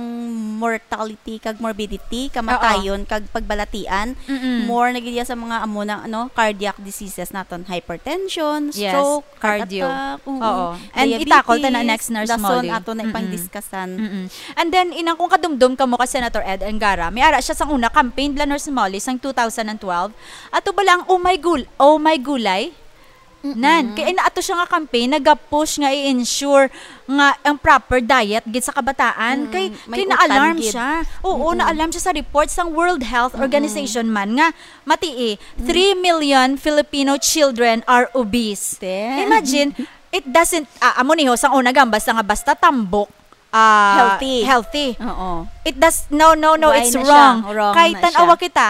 mortality kag morbidity, kamatayon Oo. kag pagbalatian, Mm-mm. more na gid siya sa mga amo na, no, cardiac diseases naton, hypertension, Yes, stroke, heart cardio. attack, oo. Oo. And diabetes, itakol ta na next, Nurse dason Molly. ato na Mm-mm. ipang-discussan. Mm-mm. And then, inang kung kadumdum ka mo ka Senator Ed Angara, may ara siya sang una campaign bala, Nurse Molly, sang two thousand and twelve. Ato bala ang Oh My Gul-, Oh My Gulay? Mm-mm. Nan, kay ina ato siya nga campaign, naga-push nga i-ensure nga ang proper diet gid sa kabataan. Mm, Kay, may kay utan naalarm gid. siya. Oo, Mm-mm. naalarm siya sa report sang World Health Mm-mm. Organization man nga, matii, Mm. three million Filipino children are obese. Te. Imagine, it doesn't, ah, amo ni ho, sang una gam, basta nga basta tambok, ah, Healthy. healthy. Oo. It does, no, no, no, Why it's na siya? wrong. Wrong Kay na tan-awa siya. kita,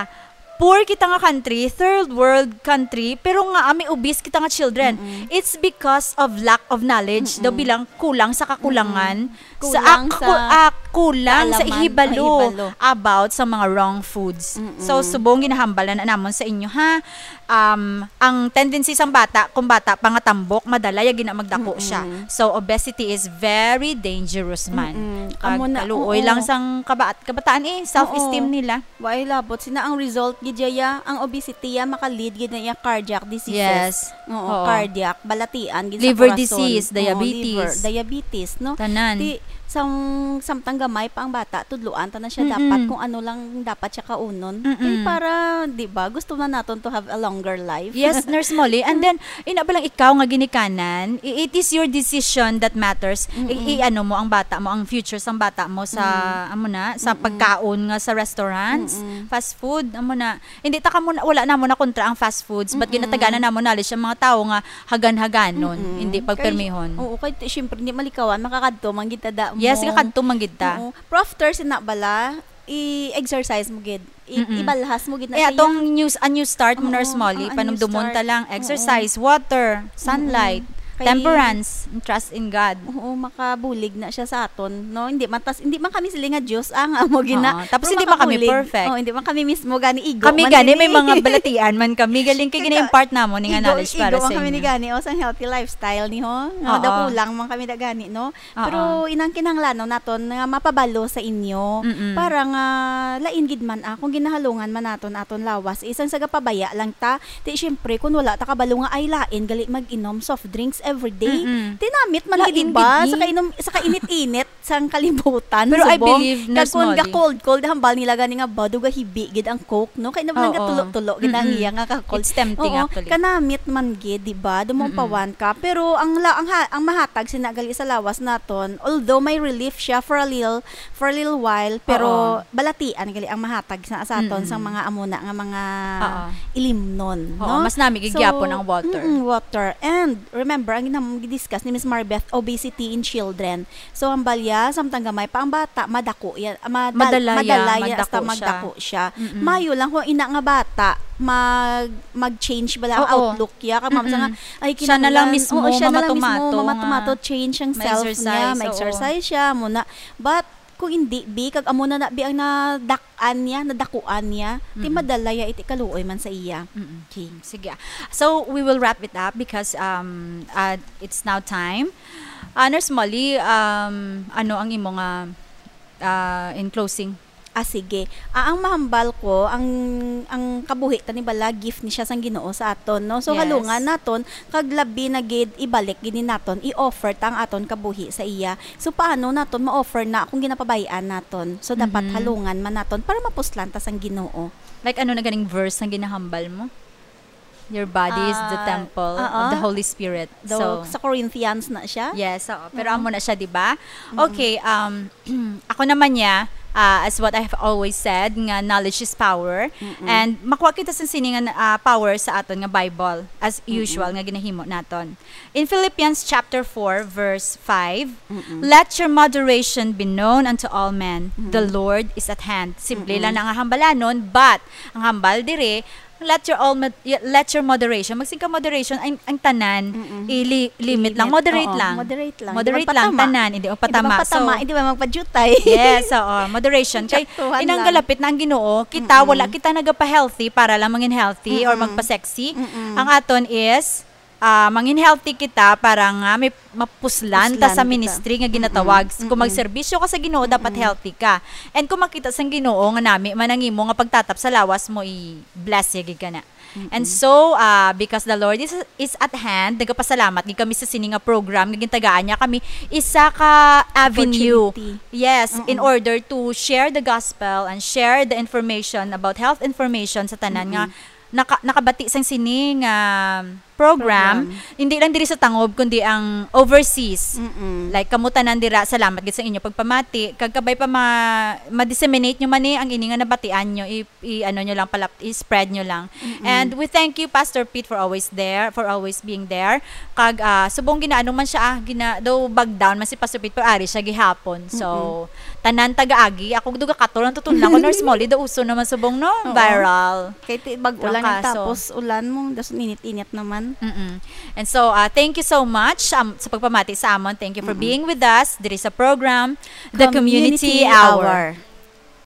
poor kita nga country, third world country, pero nga, ah, may obese kita nga children. Mm-mm. It's because of lack of knowledge. Daw Mm-mm. bilang kulang sa kakulangan. Mm-mm. Sa Kulang ak-, sa ku-, ak-, kulang sa Kaalaman, ihibalo ah, ihibalo. about sa mga wrong foods. Mm-mm. So, subong ginahambal na namon sa inyo, ha. Um, ang tendency sang bata, kung bata pa nga tambok, madala ya gina magdako Mm-mm. siya. So, obesity is very dangerous man. Mm-mm. Kag Amo na, kaluoy oo. lang sang kabaat, kabataan eh, self-esteem Oo. nila. Wa ilabot sina ang result gid ya, ang obesity ya maka-lead gid na ya cardiac diseases. Yes. Oo, Oo. cardiac, balatian gid sa Liver corazon. disease, Oo, diabetes. Liver, diabetes, no? Tanan. Ti sang samtang gamay pa ang bata, tudloan ta na siya Mm-mm. dapat kung ano lang dapat siya kaunon. Mm-mm. Kay para, di ba, gusto na naton to have a longer life. Yes, Nurse Molly. And then, ina ba lang ikaw nga ginikanan, i- it is your decision that matters. I- Mm-mm. i-ano mo ang bata mo, ang future sang bata mo sa, Mm. amo na, sa Mm-mm. pagkaon nga sa restaurants, Mm-mm. fast food, amo na. Hindi ta kamo na, wala namo na kontra ang fast foods, but Mm-mm. ginataganan namo knowledge ang mga tawo nga hagan-haganon, Mm-mm. hindi pagpermihon. Kay, oo, kay ti- syempre, hindi malikawan, makakadto man gid ta da Yes, mo. kakadto man gid ta. Oo. Pero after sina bala, i-exercise mo gid. I- Mm-mm. Ibalhas mo gid na Eh, siya. atong news, a new start mo, Oo, Nurse Molly, ang, ang panumdumon new ta start. lang, Oo. exercise, water, sunlight, Mm-mm. Kay temperance, and trust in God. Oo, makabulig na siya sa aton, no? Hindi man tas, hindi man kami sila nga Diyos, ah, nga mo gina. Oo, tapos Pero hindi man kami makabulig. perfect. Oo, hindi man kami mismo gani igo. Kami Man gani, sila may mga ni- balatian man kami. Galing kay Kaka- gina-impart namo ni nga igo, knowledge para igo sa man kami ni inyo. gani, o, sang healthy lifestyle ni ho. Nga Oo. dakulang man kami da gani, no? Oo. Pero inang kinahanglanon naton nga mapabalo sa inyo Mm-mm. para nga lain gid man, ah, kung ginahalungan man naton aton lawas, isang sagapabaya lang ta. Ti syempre, kung wala ta kabalo nga ay lain gali mag-inom soft drinks every day. Mm-mm. Tinamit man Lain gid, di ba? gid, Sa eh. kainit, sa kainit-init sang kalibutan. Pero I Subong. believe, Kag Nurse kung Molly. ga-cold-cold, hambal nila gani nga, "Ba, daw gahibi gid ang Coke," no? Kay naman Oo. nagatulo-tulo gid ang Mm-mm. iya nga ka-cold. It's tempting, Oo, actually. Kanamit man gid, di ba? Mm-mm. Dumupawan ka. Pero ang la-, ang ha-, ang mahatag sina gali sa lawas naton, although may relief siya for a little, for a little while, pero Oo. balatian gali ang mahatag sa, sa aton Mm-mm. sang mga amuna nga mga Oo. ilimnon, Oo, no? mas nami gid So, gyapon ang water. Mm-mm, water. And remember, ang ginam-, gidiscuss ni Miss Marbeth, obesity in children. So, ang balya, samtang gamay pa ang bata, madako yan, ah, madal-, Madala ya, madala ya, hasta madako siya. magdako siya. Mm-mm. Mayo lang kung ina nga bata, mag, mag-change bala ang Oo. outlook ya. Kag mama sa nga, Mm-mm. ay, Siya na lang kinahanglan, mismo oo, siya na lang mismo, mamatumato nga mamatumato, change ang self niya, ma-exercise, oo. ma-exercise siya, muna. But, kung hindi, bi, kag amo na na, bi, ang nadak-an niya, nadakuan niya, ti Mm-mm. madala ya, iti kaluoy man sa iya. Mm-mm. King. Sige. So, we will wrap it up because um, uh, it's now time. Uh, Nurse Molly, um, ano ang imo nga uh, in closing? Ah, sige. Ah, ang mahambal ko, ang, ang kabuhi ta ni bala, gift ni siya sang Ginoo sa aton, no? So, Yes. halungan naton, kag labi na gid, ibalik gid ni naton, i-offer ta ang aton kabuhi sa iya. So, paano naton ma-offer na kung ginapabay-an naton? So, dapat Mhm. halungan man naton para mapuslan ta sang Ginoo. Like, ano na ganing verse ang ginahambal mo? Your body is the Ah, temple of oo. the Holy Spirit. Do, So, sa Corinthians na siya? yes, oo. Pero Oo. Amo na siya, di ba? Mm-mm. Okay, um, ako naman niya, uh, as what I have always said, nga knowledge is power. Mm-mm. And makuha kita sa sini nga uh, power sa aton nga Bible, as Mm-mm. usual nga ginahimo naton. In Philippians chapter four, verse five, Mm-mm. "Let your moderation be known unto all men. The Mm-mm. Lord is at hand." Simple Mm-mm. lang na nga hambalanon, but ang hambal dire, let your all mod- y- let your moderation. Magsing ka moderation, ang, ang tanan, Mm-mm. ili- limit lang, Limit. moderate Oo, lang. Moderate lang. Moderate Hindi lang, magpatama. tanan, hindi Hindi magpatama. magpatama, So, hindi ba magpadyutay? Yes, oo. Moderation. Kay, Saktuhan inang lang. Galapit na ang Ginoo, kita, Mm-mm. wala kita nagapa-healthy para lang mangin healthy or Mm-mm. magpa-sexy. Mm-mm. Ang aton is, ah, mangin healthy kita para nga may mapuslan ta Puslan sa kita. ministry nga ginatawag. Mm-mm. Kung Mm-mm. magserbisyo ka sa Ginoo, dapat Mm-mm. healthy ka. And kung makita sang Ginoo nga nami man ang imo nga pagtatap sa lawas mo, i-bless ya gid ka na. Mm-mm. And so, ah, because the Lord is is at hand, nagapasalamat gid kami sa sini nga program nga gintagaan niya kami isa ka avenue. Opportunity. Yes, in Mm-mm. order to share the gospel and share the information about health information sa tanan nga Mm-mm. naka- nakabati sang sini nga program, Program. Hindi lang diri sa Tangob kundi ang overseas. Mm-mm. Like, kamo tanan dira, salamat gid sa inyo pagpamati. Kag kabay pa ma- ma-disseminate nyo man ni ang ini nga nabatian nyo, i- i-ano nyo lang, palap- i-spread nyo lang. Mm-mm. And we thank you, Pastor Pete, for always there, for always being there. Kag ah, subong ginaano man siya, ah, gina, daw bag down man si Pastor Pete, pero ari siya gihapon. So, tanan taga-agi, ako duga katol ang tutun lang ko, Nurse Molly, daw uso naman subong, no? Oo. Viral. Kay ti bag-o Ang lang kaso. Tapos ulan mo, das init-init naman. Mm-mm. And so, uh, thank you so much, um, sa pagpamati sa amon. Thank you for Mm-mm. being with us diri sa program, The Community Community Hour.